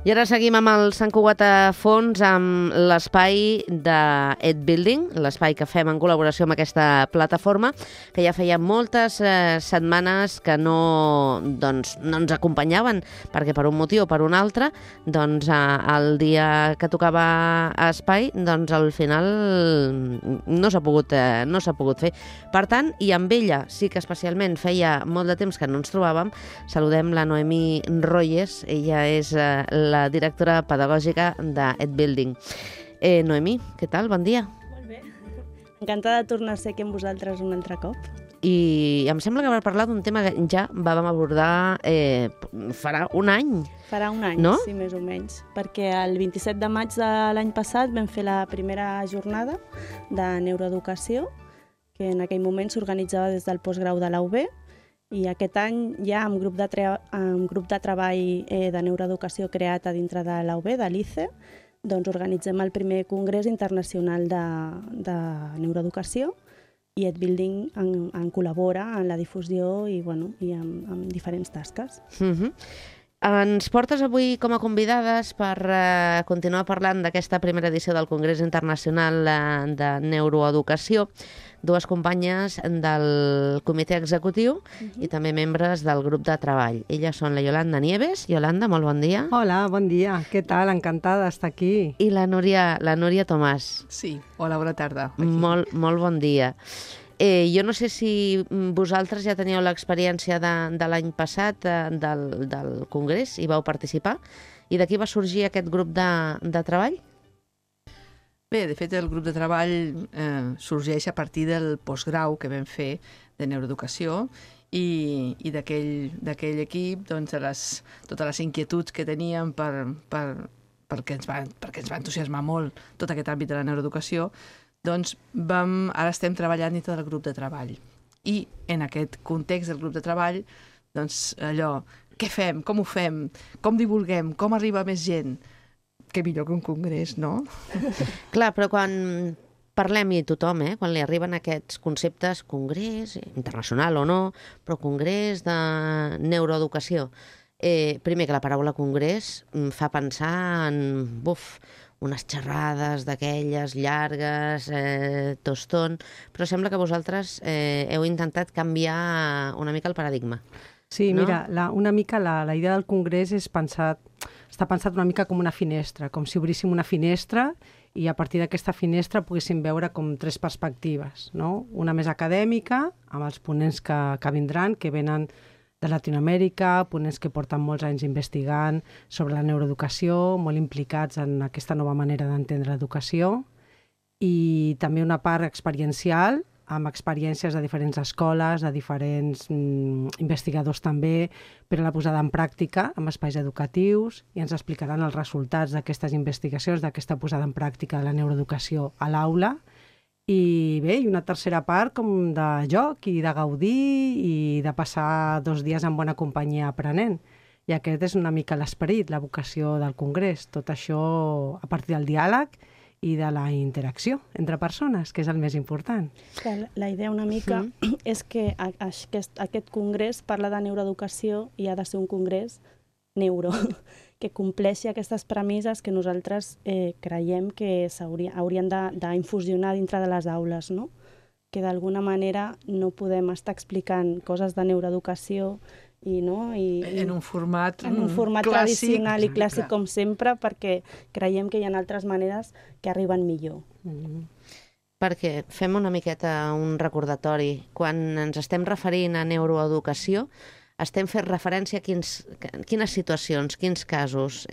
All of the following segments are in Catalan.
I ara seguim amb el Sant Cugat a fons, amb l'espai de Ed Building, l'espai que fem en col·laboració amb aquesta plataforma, que ja feia moltes setmanes que no ens acompanyaven, perquè per un motiu o per un altre, el dia que tocava a espai, al final no s'ha pogut fer. Per tant, i amb ella sí que especialment feia molt de temps que no ens trobàvem, saludem la Noemí Royes, ella és la directora pedagògica de Ed Building. Noemí, què tal? Bon dia. Molt bé. Encantada de tornar a ser aquí amb vosaltres un altre cop. I em sembla que vam parlar d'un tema que ja vam abordar farà un any. Farà un any, no? Sí, més o menys. Perquè el 27 de maig de l'any passat vam fer la primera jornada de neuroeducació, que en aquell moment s'organitzava des del postgrau de la UB, i aquest any ja amb grup de treball de neuroeducació creat a dintre de la UB, de l'ICE, organitzem el primer congrés internacional de neuroeducació, i Ed Building en col·labora en la difusió i amb diferents tasques. Ens portes avui com a convidades per continuar parlant d'aquesta primera edició del Congrés Internacional de Neuroeducació, dues companyes del comitè executiu i també membres del grup de treball. Elles són la Yolanda Nieves. Yolanda, molt bon dia. Hola, bon dia. Què tal? Encantada d'estar aquí. I la Núria Tomàs. Sí, hola, bona tarda. Molt bon dia. Jo no sé si vosaltres ja teníeu l'experiència de l'any passat del Congrés i vau participar, i d'aquí va sorgir aquest grup de treball? Bé, de fet, el grup de treball sorgeix a partir del postgrau que vam fer de neuroeducació i d'aquell equip, totes les inquietuds que teníem perquè ens va entusiasmar molt tot aquest àmbit de la neuroeducació, ara estem treballant dintre del grup de treball. I en aquest context del grup de treball, allò, què fem, com ho fem, com divulguem, com arriba més gent? Què millor que un congrés, no? Clar, però quan parlem i tothom, quan li arriben aquests conceptes, congrés, internacional o no, però congrés de neuroeducació, primer que la paraula congrés fa pensar en, unes xerrades d'aquelles llargues, tostón, però sembla que vosaltres heu intentat canviar una mica el paradigma. Sí, no? Mira, una mica la idea del congrés està pensat una mica com una finestra, com si obríssim una finestra i a partir d'aquesta finestra poguéssim veure com tres perspectives, no? Una més acadèmica, amb els ponents que vindran, que venen de Latinoamèrica, ponents que porten molts anys investigant sobre la neuroeducació, molt implicats en aquesta nova manera d'entendre l'educació, i també una part experiencial, amb experiències de diferents escoles, de diferents investigadors també, per a la posada en pràctica amb espais educatius, i ens explicaran els resultats d'aquestes investigacions, d'aquesta posada en pràctica de la neuroeducació a l'aula. I bé, i una tercera part com de joc i de gaudir i de passar 2 dies en bona companyia aprenent. I aquest és una mica l'esperit, la vocació del Congrés. Tot això a partir del diàleg i de la interacció entre persones, que és el més important. La idea una mica és que aquest congrés parla de neuroeducació i ha de ser un congrés neuro, que compleixi aquestes premisses que nosaltres creiem que haurien d'infusionar dintre de les aules, no? Que d'alguna manera no podem estar explicant coses de neuroeducació en un format clàssic, tradicional i clàssic com sempre, perquè creiem que hi ha altres maneres que arriben millor. Perquè fem una miqueta un recordatori. Quan ens estem referint a neuroeducació, estem fent referència a quines situacions, quins casos,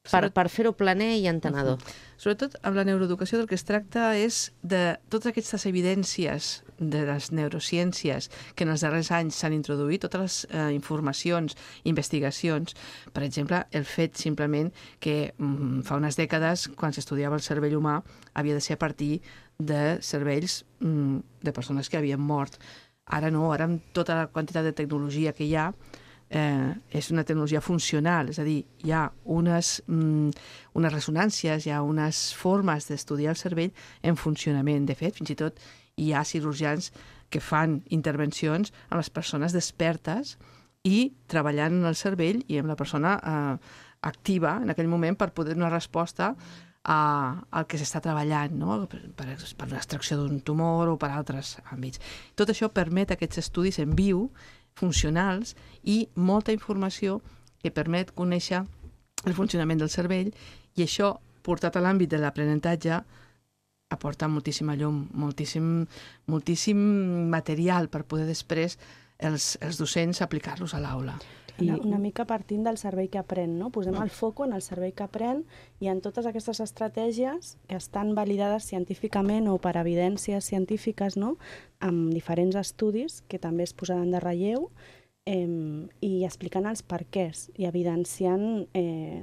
per fer-ho planer i entenedor. Sobretot amb la neuroeducació del que es tracta és de totes aquestes evidències de les neurociències que en els darrers anys s'han introduït, totes les informacions, investigacions. Per exemple, el fet simplement que fa unes dècades, quan s'estudiava el cervell humà, havia de ser a partir de cervells de persones que havien mort. Ara no, ara amb tota la quantitat de tecnologia que hi ha, és una tecnologia funcional, és a dir, hi ha unes ressonàncies, hi ha unes formes d'estudiar el cervell en funcionament. De fet, fins i tot hi ha cirurgians que fan intervencions amb les persones despertes i treballant en el cervell i amb la persona activa en aquell moment per poder donar resposta al que s'està treballant, no? per l'extracció d'un tumor o per altres àmbits. Tot això permet aquests estudis en viu, funcionals, i molta informació que permet conèixer el funcionament del cervell, i això, portat a l'àmbit de l'aprenentatge, aporta moltíssima llum, moltíssim material per poder després els docents aplicar-los a l'aula. Una mica partint del cervell que aprèn, no? Posem el foco en el cervell que aprèn i en totes aquestes estratègies que estan validades científicament o per evidències científiques, no? Amb diferents estudis que també es posaran de relleu, i explicant els perquès i evidenciant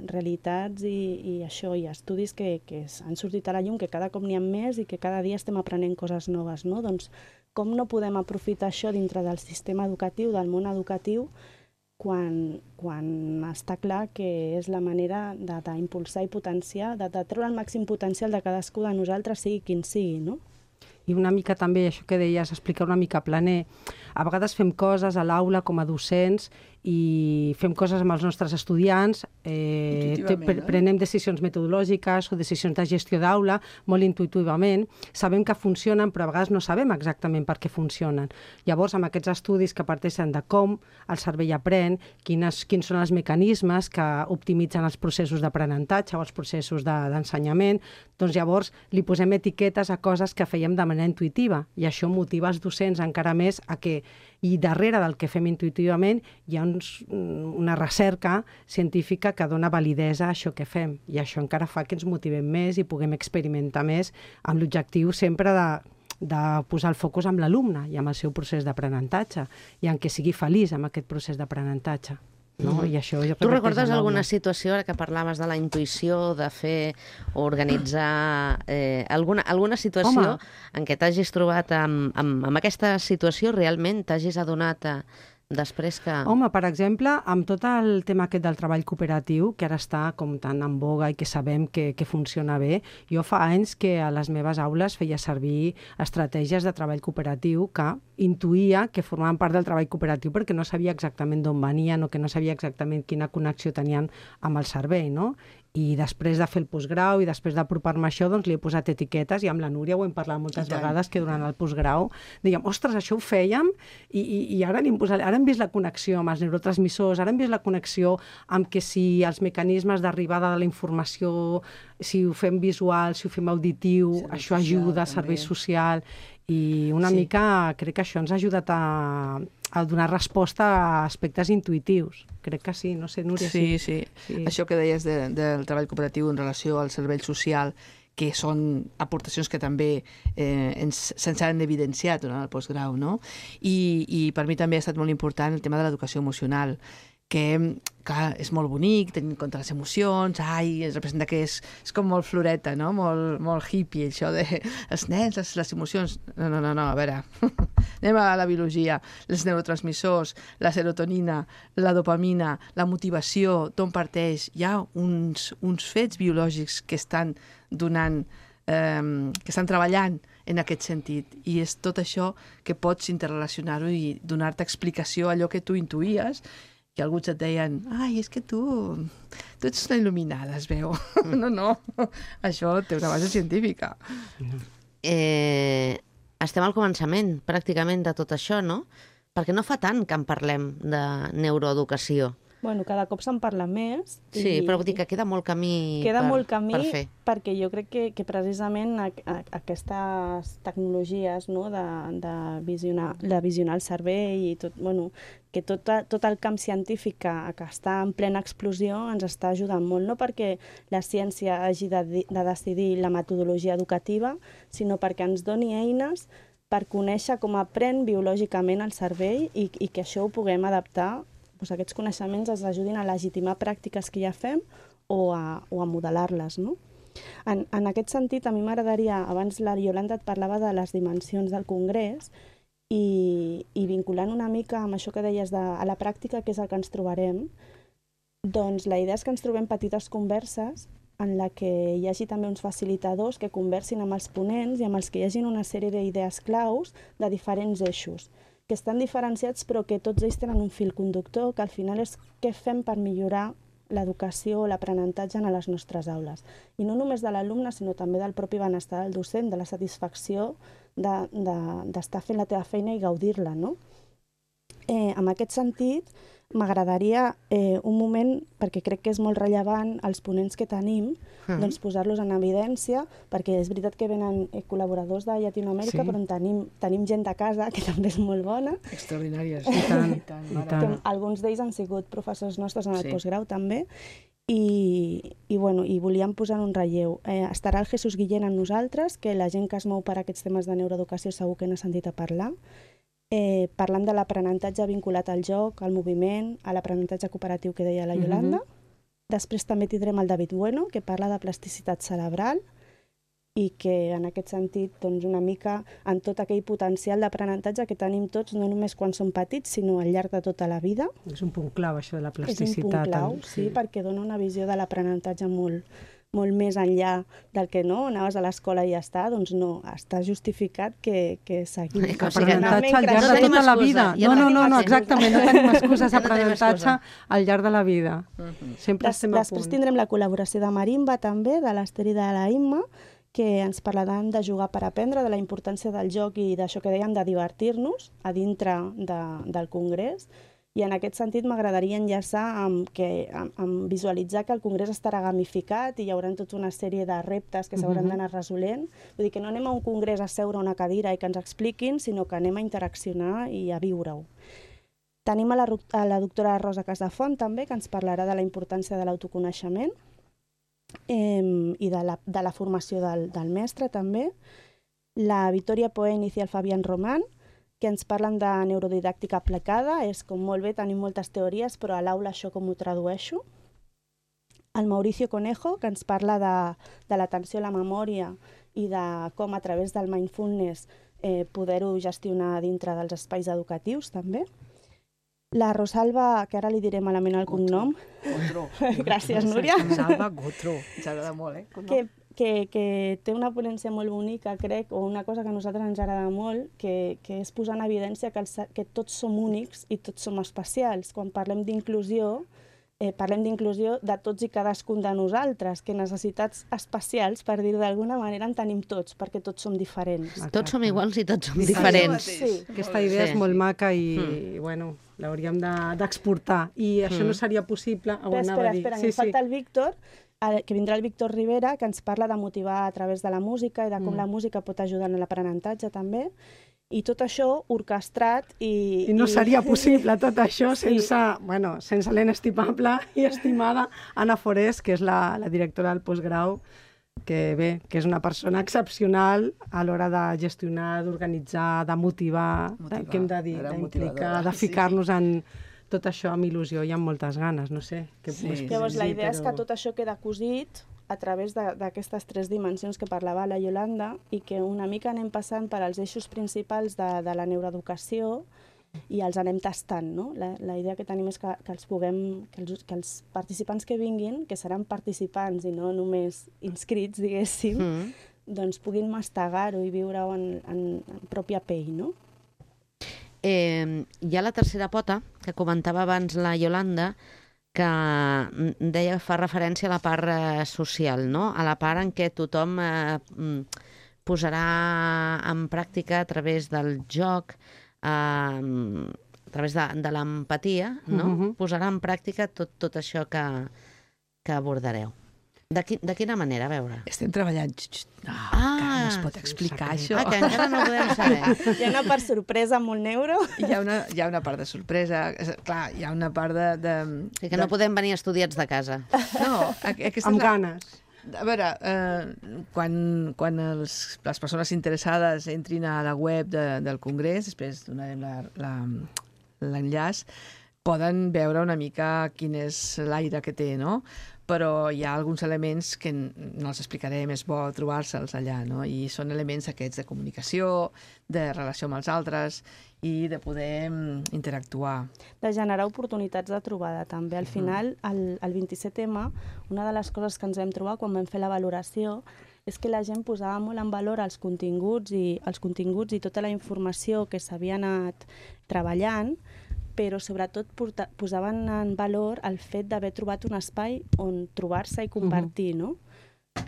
realitats i això, i estudis que han sortit a la llum, que cada cop n'hi ha més i que cada dia estem aprenent coses noves, no? Doncs com no podem aprofitar això dintre del sistema educatiu, del món educatiu, quan està clar que és la manera d'impulsar i potenciar, de treure el màxim potencial de cadascú de nosaltres, sigui quin sigui, no? I una mica també, això que deies, explicar una mica planer. A vegades fem coses a l'aula com a docents i fem coses amb els nostres estudiants, prenem decisions metodològiques o decisions de gestió d'aula molt intuïtivament, sabem que funcionen però a vegades no sabem exactament per què funcionen. Llavors, amb aquests estudis que parteixen de com el cervell aprèn, quins són els mecanismes que optimitzen els processos d'aprenentatge o els processos d'ensenyament, doncs llavors li posem etiquetes a coses que fèiem de manera intuïtiva, i això motiva els docents encara més a que, i darrere del que fem intuïtivament hi ha una recerca científica que dona validesa a això que fem, i això encara fa que ens motivem més i puguem experimentar més amb l'objectiu sempre de posar el focus amb l'alumne i amb el seu procés d'aprenentatge i en què sigui feliç amb aquest procés d'aprenentatge. No? I això jo tu recordes alguna situació, ara que parlaves de la intuïció, de fer o organitzar alguna situació en què t'hagis trobat amb aquesta situació, realment t'hagis adonat després que... Home, per exemple, amb tot el tema aquest del treball cooperatiu, que ara està com tan en boga i que sabem que funciona bé, jo fa anys que a les meves aules feia servir estratègies de treball cooperatiu que intuïa que formaven part del treball cooperatiu perquè no sabia exactament d'on venien o que no sabia exactament quina connexió tenien amb el cervell, no? I després de fer el postgrau i després d'apropar-me a això, doncs li he posat etiquetes, i amb la Núria ho hem parlat moltes vegades, que durant el postgrau dèiem, ostres, això ho fèiem, i ara hem vist la connexió amb els neurotransmissors, ara hem vist la connexió amb que si els mecanismes d'arribada de la informació, si ho fem visual, si ho fem auditiu, això ajuda, servei social, i una mica crec que això ens ha ajudat a donar resposta a aspectes intuïtius. Crec que sí, no sé, Núria. Sí. Això que deies del treball cooperatiu en relació al cervell social, que són aportacions que també se'ns han evidenciat durant el postgrau, no? I per mi també ha estat molt important el tema de l'educació emocional, que, clar, és molt bonic, tenint en compte les emocions, es representa que és com molt floreta, no? Molt hippie, això de els nens, les emocions. No, a veure, anem a la biologia. Els neurotransmissors, la serotonina, la dopamina, la motivació, d'on parteix. Hi ha uns fets biològics que estan donant, que estan treballant en aquest sentit, i és tot això que pots interrelacionar-ho i donar-te explicació a allò que tu intuïes, que alguns et deien, és que tu ets una il·luminada, es veu. No, això té una base científica. Estem al començament, pràcticament, de tot això, no? Perquè no fa tant que en parlem de neuroeducació. Bueno, cada cop se'n parla més. Sí, però vull dir que queda molt camí per fer. Perquè jo crec que precisament aquestes tecnologies, no, de visionar el cervell i tot, que tot el camp científic que està en plena explosió ens està ajudant molt, no perquè la ciència hagi de decidir la metodologia educativa, sinó perquè ens doni eines per conèixer com aprèn biològicament el cervell i que això ho puguem adaptar, aquests coneixements ens ajudin a legitimar pràctiques que ja fem o a modelar-les, no? En aquest sentit, a mi m'agradaria, abans la Iolanda et parlava de les dimensions del Congrés, i vinculant una mica amb això que deies a la pràctica, que és el que ens trobarem, doncs la idea és que ens trobem petites converses en la que hi hagi també uns facilitadors que conversin amb els ponents i amb els que hi hagin una sèrie d'idees claus de diferents eixos, que estan diferenciats però que tots ells tenen un fil conductor, que al final és què fem per millorar l'educació o l'aprenentatge a les nostres aules. I no només de l'alumne, sinó també del propi benestar del docent, de la satisfacció d'estar fent la teva feina i gaudir-la, no? En aquest sentit, m'agradaria un moment, perquè crec que és molt rellevant els ponents que tenim, doncs posar-los en evidència, perquè és veritat que venen col·laboradors de Llatinoamèrica, però tenim gent de casa, que també és molt bona. Extraordinàries. I tant. Alguns d'ells han sigut professors nostres en el postgrau, també, i volíem posar en un relleu. Estarà el Jesús Guillén amb nosaltres, que la gent que es mou per aquests temes de neuroeducació segur que n'ha sentit a parlar, parlant de l'aprenentatge vinculat al joc, al moviment, a l'aprenentatge cooperatiu que deia la Iolanda. Després també tindrem el David Bueno, que parla de plasticitat cerebral i que en aquest sentit doncs, una mica en tot aquell potencial d'aprenentatge que tenim tots, no només quan som petits, sinó al llarg de tota la vida. És un punt clau, això de la plasticitat. És un punt clau, sí, perquè dona una visió de l'aprenentatge molt més enllà del que no, anaves a l'escola i ja està, doncs no, està justificat que seguim. Aprenentatge al llarg de tota la vida. No, exactament, no tenim excuses, aprenentatge al llarg de la vida. Sempre estem a punt. Després tindrem la col·laboració de Marimba també, de l'Ester i de la Imma, que ens parlaran de jugar per aprendre, de la importància del joc i d'això que dèiem de divertir-nos a dintre del congrés. I en aquest sentit m'agradaria enllaçar amb visualitzar que el congrés estarà gamificat i hi haurà tota una sèrie de reptes que s'hauran d'anar resolent. Vull dir que no anem a un congrés a seure a una cadira i que ens expliquin, sinó que anem a interaccionar i a viure-ho. Tenim a la doctora Rosa Casafont també, que ens parlarà de la importància de l'autoconeixement i de la formació del mestre també. La Vittoria Poenz i el Fabián Román, que ens parlen de neurodidàctica aplicada. És com molt bé, tenim moltes teories, però a l'aula això com ho tradueixo. El Mauricio Conejo, que ens parla de l'atenció a la memòria i de com a través del mindfulness poder-ho gestionar dintre dels espais educatius també. La Rosalba, que ara li diré malament el cognom. Gotro. Gràcies, Núria. Rosalba Gotro. Ens agrada molt, que té una ponència molt bonica, crec, o una cosa que a nosaltres ens agrada molt, que és posar en evidència que tots som únics i tots som especials. Quan parlem d'inclusió de tots i cadascun de nosaltres, que necessitats especials, per dir d'alguna manera, en tenim tots, perquè tots som diferents. Tots som iguals i tots som diferents. Sí. Aquesta idea és molt maca i, bueno, l'hauríem d'exportar. I això no seria possible... Espera, em falta el Víctor, que vindrà el Víctor Rivera, que ens parla de motivar a través de la música i de com la música pot ajudar en l'aprenentatge també. I tot això orquestrat I no seria possible tot això sense l'inestimable i estimada Anna Forés, que és la directora del postgrau, que és una persona excepcional a l'hora de gestionar, d'organitzar, de motivar, què hem de dir, d'implicar, de ficar-nos en tot això amb il·lusió i amb moltes ganes, no sé. Llavors, la idea és que tot això queda cosit a través d'aquestes 3 dimensions que parlava la Iolanda i que una mica anem passant per als eixos principals de la neuroeducació i els anem tastant, no? La idea que tenim és que els participants que vinguin, que seran participants i no només inscrits, diguéssim, doncs puguin mastegar-ho i viure-ho en pròpia pell, no? Hi ha la tercera pota, que comentava abans la Iolanda, que fa referència a la part social, no? A la part en què tothom posarà en pràctica a través del joc, a través de l'empatia, no? Posarà en pràctica tot això que abordareu. De quina manera, a veure? Estem treballant... no es pot explicar això. Que encara no ho podem saber. Hi ha una part sorpresa molt neuro. Hi ha una part de sorpresa. Clar, hi ha una part de... Que no podem venir estudiats de casa. No, amb ganes. A veure, quan les persones interessades entrin a la web del Congrés, després donarem l'enllaç, poden veure una mica quin és l'aire que té, no? Però hi ha alguns elements que no els explicarem, és bo trobar-se'ls allà, no? I són elements aquests de comunicació, de relació amb els altres i de poder interactuar. De generar oportunitats de trobada, també. Al final, el 27M, una de les coses que ens vam trobar quan vam fer la valoració és que la gent posava molt en valor els continguts i tota la informació que s'havia anat treballant, però sobretot posaven en valor el fet d'haver trobat un espai on trobar-se i compartir, no?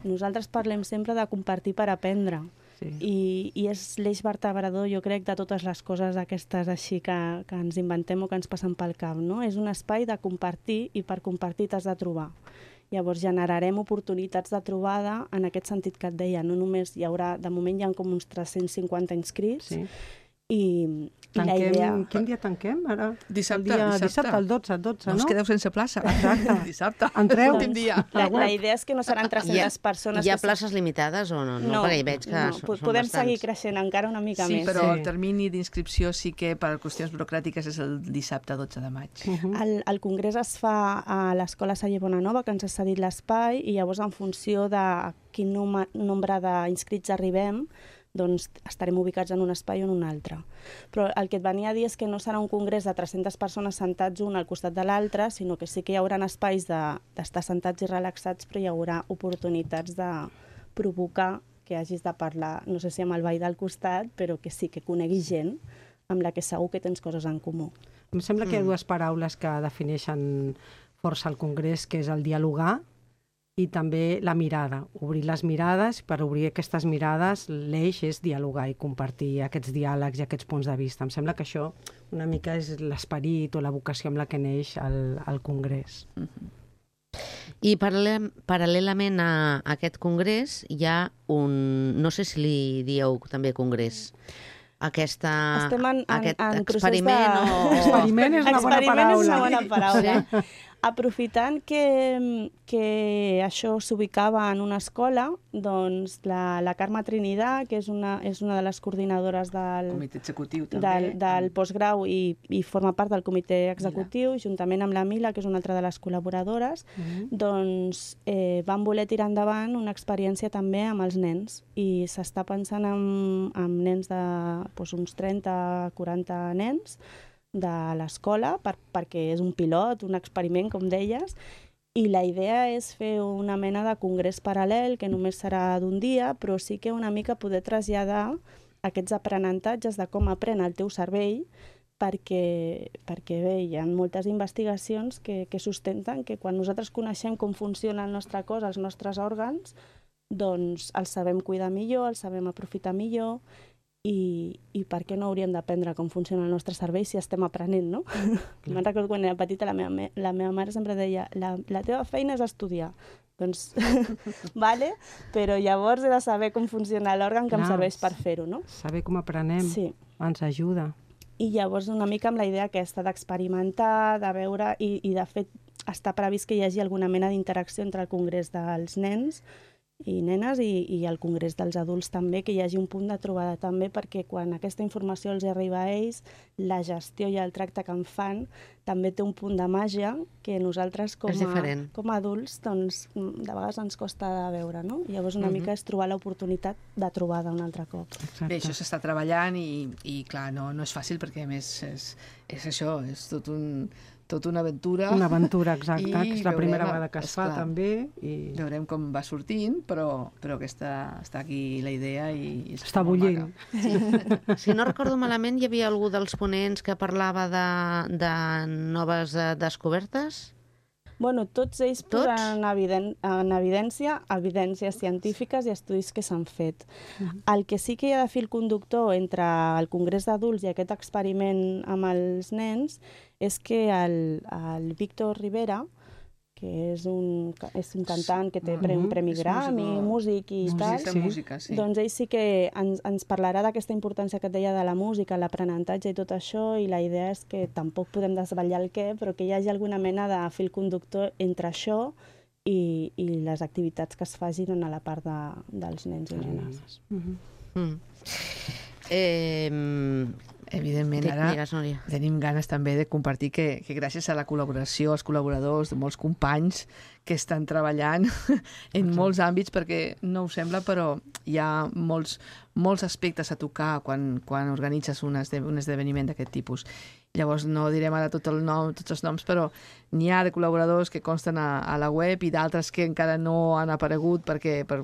Nosaltres parlem sempre de compartir per aprendre. I és l'eix vertebrador, jo crec, de totes les coses aquestes així que ens inventem o que ens passen pel cap, no? És un espai de compartir i per compartir t'has de trobar. Llavors generarem oportunitats de trobada en aquest sentit que et deia, no només hi haurà, de moment hi ha com uns 350 inscrits, i la idea... Quin dia tanquem, ara? Dissabte, el 12, no? Us quedeu sense plaça. Exacte. Dissabte. Entreu. L'últim dia. La idea és que no seran 300 persones... Hi ha places limitades o no? No, perquè hi veig que són podem bastants. seguir creixent encara una mica més. Sí, però el termini d'inscripció sí que per qüestions burocràtiques és el dissabte 12 de maig. El congrés es fa a l'Escola Saller Bonanova, que ens ha cedit l'espai, i llavors en funció de quin nombre d'inscrits arribem, doncs estarem ubicats en un espai o en un altre. Però el que et venia a dir és que no serà un congrés de 300 persones sentats un al costat de l'altre, sinó que sí que hi haurà espais d'estar sentats i relaxats, però hi haurà oportunitats de provocar que hagis de parlar, no sé si amb el veí del costat, però que sí que coneguis gent amb la que segur que tens coses en comú. Em sembla que hi ha dues paraules que defineixen força el congrés, que és el dialogar i també la mirada, obrir les mirades. Per obrir aquestes mirades l'eix és dialogar i compartir aquests diàlegs i aquests punts de vista. Em sembla que això una mica és l'esperit o la vocació amb la que neix el congrés. I paral·lelament a aquest congrés hi ha un... no sé si li dieu també congrés. Aquest experiment o... Experiment és una bona paraula. Experiment és una bona paraula. Aprofitant que això s'ubicava en una escola, doncs la Carme Trinidad, que és una de les coordinadores del comitè executiu també, del postgrau i forma part del comitè executiu, juntament amb la Mila, que és una altra de les col·laboradores, doncs van voler tirar endavant una experiència també amb els nens, i s'està pensant en nens de uns 30-40 nens de l'escola, perquè és un pilot, un experiment, com deies, i la idea és fer una mena de congrés paral·lel, que només serà d'un dia, però sí que una mica poder traslladar aquests aprenentatges de com aprèn el teu cervell, perquè bé, hi ha moltes investigacions que sustenten que quan nosaltres coneixem com funciona el nostre cos, els nostres òrgans, doncs els sabem cuidar millor, els sabem aprofitar millor, i per què no hauríem d'aprendre com funciona el nostre cervell si estem aprenent, no? Me'n recordo quan era petita, la meva mare sempre deia la teva feina és estudiar. Doncs, vale, però llavors he de saber com funciona l'òrgan que em serveix per fer-ho, no? Saber com aprenem ens ajuda. I llavors una mica amb la idea aquesta d'experimentar, de veure, i de fet està previst que hi hagi alguna mena d'interacció entre el congrés dels nens i nenes i el congrés dels adults també, que hi hagi un punt de trobada també, perquè quan aquesta informació els arriba a ells, la gestió i el tracte que en fan també té un punt de màgia que nosaltres com a adults doncs, de vegades ens costa de veure, no? Llavors una mica és trobar l'oportunitat de trobada un altre cop. Bé, això s'està treballant i clar, no és fàcil perquè a més és això, és tot una aventura. Una aventura, exacte, que és la primera vegada que es fa també. Veurem com va sortint, però que està aquí la idea i està bullint. Si no recordo malament, hi havia algú dels ponents que parlava de noves descobertes? Bueno, tots ells posen en evidències científiques i estudis que s'han fet. El que sí que hi ha de fil conductor entre el Congrés d'Adults i aquest experiment amb els nens és que el Víctor Rivera, que és un cantant que té un premi Grammy, músic i tal, doncs ell sí que ens parlarà d'aquesta importància que et deia de la música, l'aprenentatge i tot això, i la idea és que tampoc podem desvetllar el què, però que hi hagi alguna mena de fil conductor entre això i les activitats que es facin a la part dels nens i nenes. Evidentment, ara tenim ganes també de compartir que gràcies a la col·laboració, als col·laboradors, de molts companys que estan treballant en molts àmbits, perquè no ho sembla, però hi ha molts aspectes a tocar quan organitzes un esdeveniment d'aquest tipus. Llavors no direm ara tots els noms, però n'hi ha de col·laboradors que consten a la web i d'altres que encara no han aparegut per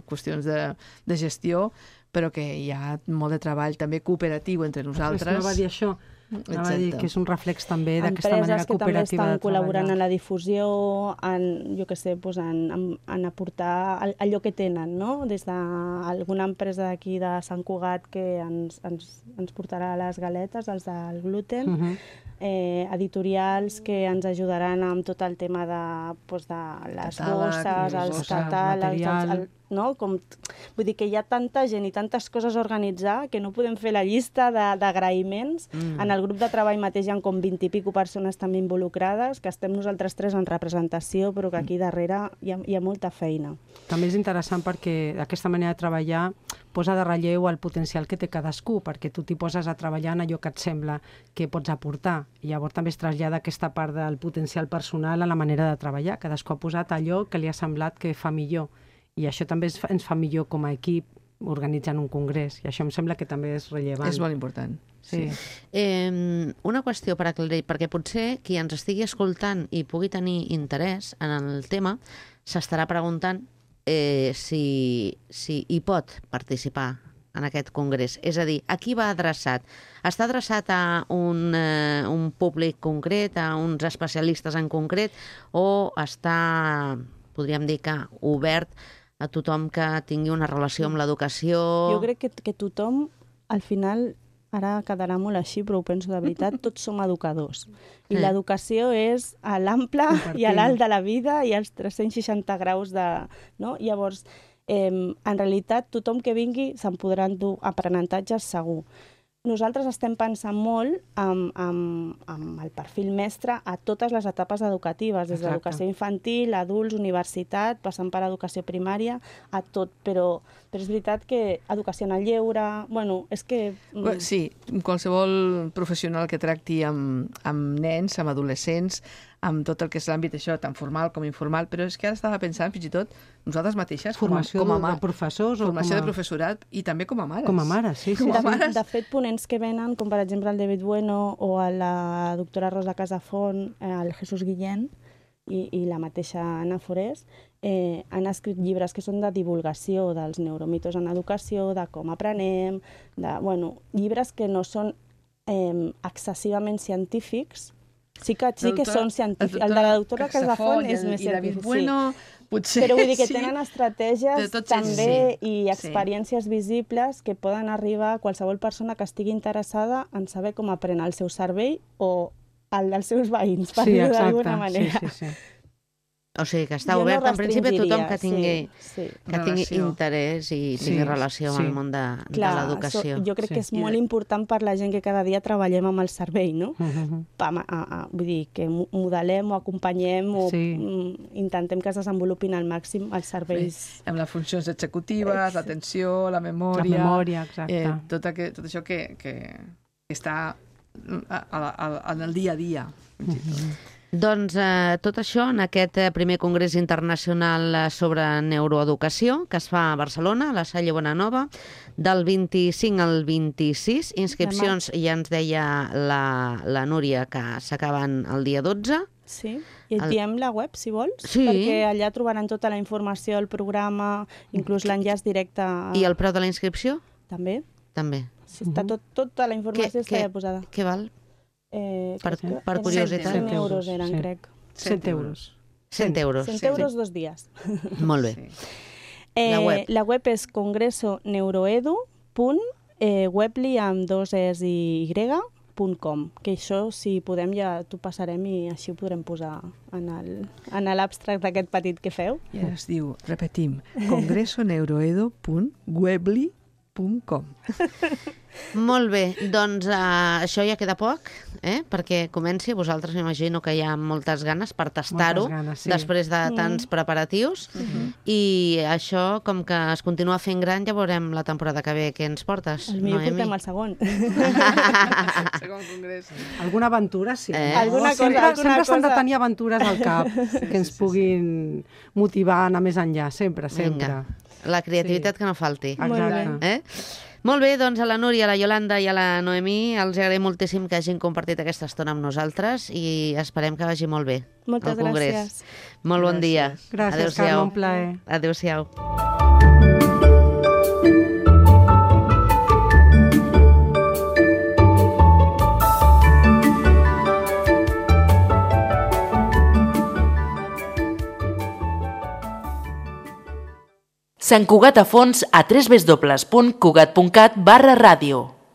qüestions de gestió, però que hi ha molt de treball també cooperatiu entre nosaltres. No va dir això, Anava a dir que és un reflex també d'aquesta manera Empreses que també cooperativa de estan col·laborant treballar. en la difusió, jo què sé, doncs en aportar allò que tenen, no? Des d'alguna empresa d'aquí de Sant Cugat que ens portarà les galetes, els del gluten, editorials que ens ajudaran amb tot el tema de les bosses, els catàlegs, no? Vull dir que hi ha tanta gent i tantes coses a organitzar que no podem fer la llista d'agraïments. En el grup de treball mateix hi ha com 20 i pico persones també involucrades, que estem nosaltres tres en representació, però que aquí darrere hi ha molta feina. També és interessant perquè aquesta manera de treballar posa de relleu el potencial que té cadascú, perquè tu t'hi poses a treballar en allò que et sembla que pots aportar. I llavors també es trasllada aquesta part del potencial personal a la manera de treballar. Cadascú ha posat allò que li ha semblat que fa millor. I això també ens fa millor com a equip organitzant un congrés. I això em sembla que també és rellevant. És molt important. Sí. Una qüestió per aclarir, perquè potser qui ens estigui escoltant i pugui tenir interès en el tema s'estarà preguntant si hi pot participar en aquest congrés. És a dir, a qui va adreçat? Està adreçat a un públic concret, a uns especialistes en concret, o està, podríem dir que, obert a tothom que tingui una relació amb l'educació? Jo crec que tothom, al final, ara quedarà molt així, però ho penso de veritat, tots som educadors. I l'educació és a l'ample i a l'alt de la vida i als 360 graus de... No? Llavors, en realitat, tothom que vingui se'n podrà endur aprenentatges segur. Nosaltres estem pensant molt amb el perfil mestre a totes les etapes educatives, des d'educació infantil, adults, universitat, passant per educació primària, a tot, però és veritat que educació en el lleure... Bueno, és que... Sí, qualsevol professional que tracti amb nens, amb adolescents, amb tot el que és l'àmbit això, tant formal com informal, però és que ara estava pensant, fins i tot, nosaltres mateixes, formació de professors, formació de professorat i també com a mares. Com a mares, sí. De fet, ponents que venen, com per exemple el David Bueno o la doctora Rosa Casafont, el Jesús Guillén i la mateixa Anna Forés, han escrit llibres que són de divulgació dels neuromitos en educació, de com aprenem, llibres que no són excessivament científics. Sí que són científics. El de la doctora Casafont és més científic. Potser, però vull dir que tenen estratègies també i experiències visibles que poden arribar a qualsevol persona que estigui interessada en saber com aprèn el seu cervell o el dels seus veïns, per dir-ho d'alguna manera. Sí. O sigui, que està obert en principi a tothom que tingui interès i tingui relació amb el món de l'educació. Jo crec que és molt important per la gent que cada dia treballem amb el cervell, no? Vull dir, que modelem o acompanyem o intentem que es desenvolupin al màxim els serveis. Amb les funcions executives, l'atenció, la memòria... La memòria, exacte. Tot això que està en el dia a dia. Doncs tot això en aquest primer Congrés Internacional sobre Neuroeducació que es fa a Barcelona, a la Salle Bonanova, del 25 al 26. Inscripcions, ja ens deia la Núria, que s'acaben el dia 12. Sí, i et diem la web, si vols, perquè allà trobaran tota la informació, el programa, inclús l'enllaç directe. I el preu de la inscripció? També. També. Està tota la informació està ja posada. Què val? Per curiositat. 100 euros eren, crec. 100 euros. 100 euros. 100 euros 2 dies. Molt bé. La web és congresoneuroedu.webly amb 2 es i y.com, que això, si podem, ja t'ho passarem i així ho podrem posar en l'abstract d'aquest petit que feu. Ja es diu, repetim, congresoneuroedu.webly.com. Molt bé, doncs això ja queda poc, perquè comenci. Vosaltres m'imagino que hi ha moltes ganes per tastar-ho després de tants preparatius. I això, com que es continua fent gran, ja veurem la temporada que ve què ens portes. Potser portem el segon. Segon congrés. Alguna aventura, sí. Sempre s'han de tenir aventures al cap que ens puguin motivar a anar més enllà, sempre. La creativitat que no falti. Exacte. Molt bé, doncs a la Núria, a la Iolanda i a la Noemí els agraïm moltíssim que hagin compartit aquesta estona amb nosaltres i esperem que vagi molt bé. Moltes gràcies. Molt bon dia. Gràcies, Carme, un plaer. Adéu-siau. Sant Cugat a fons a www.cugat.cat/ràdio.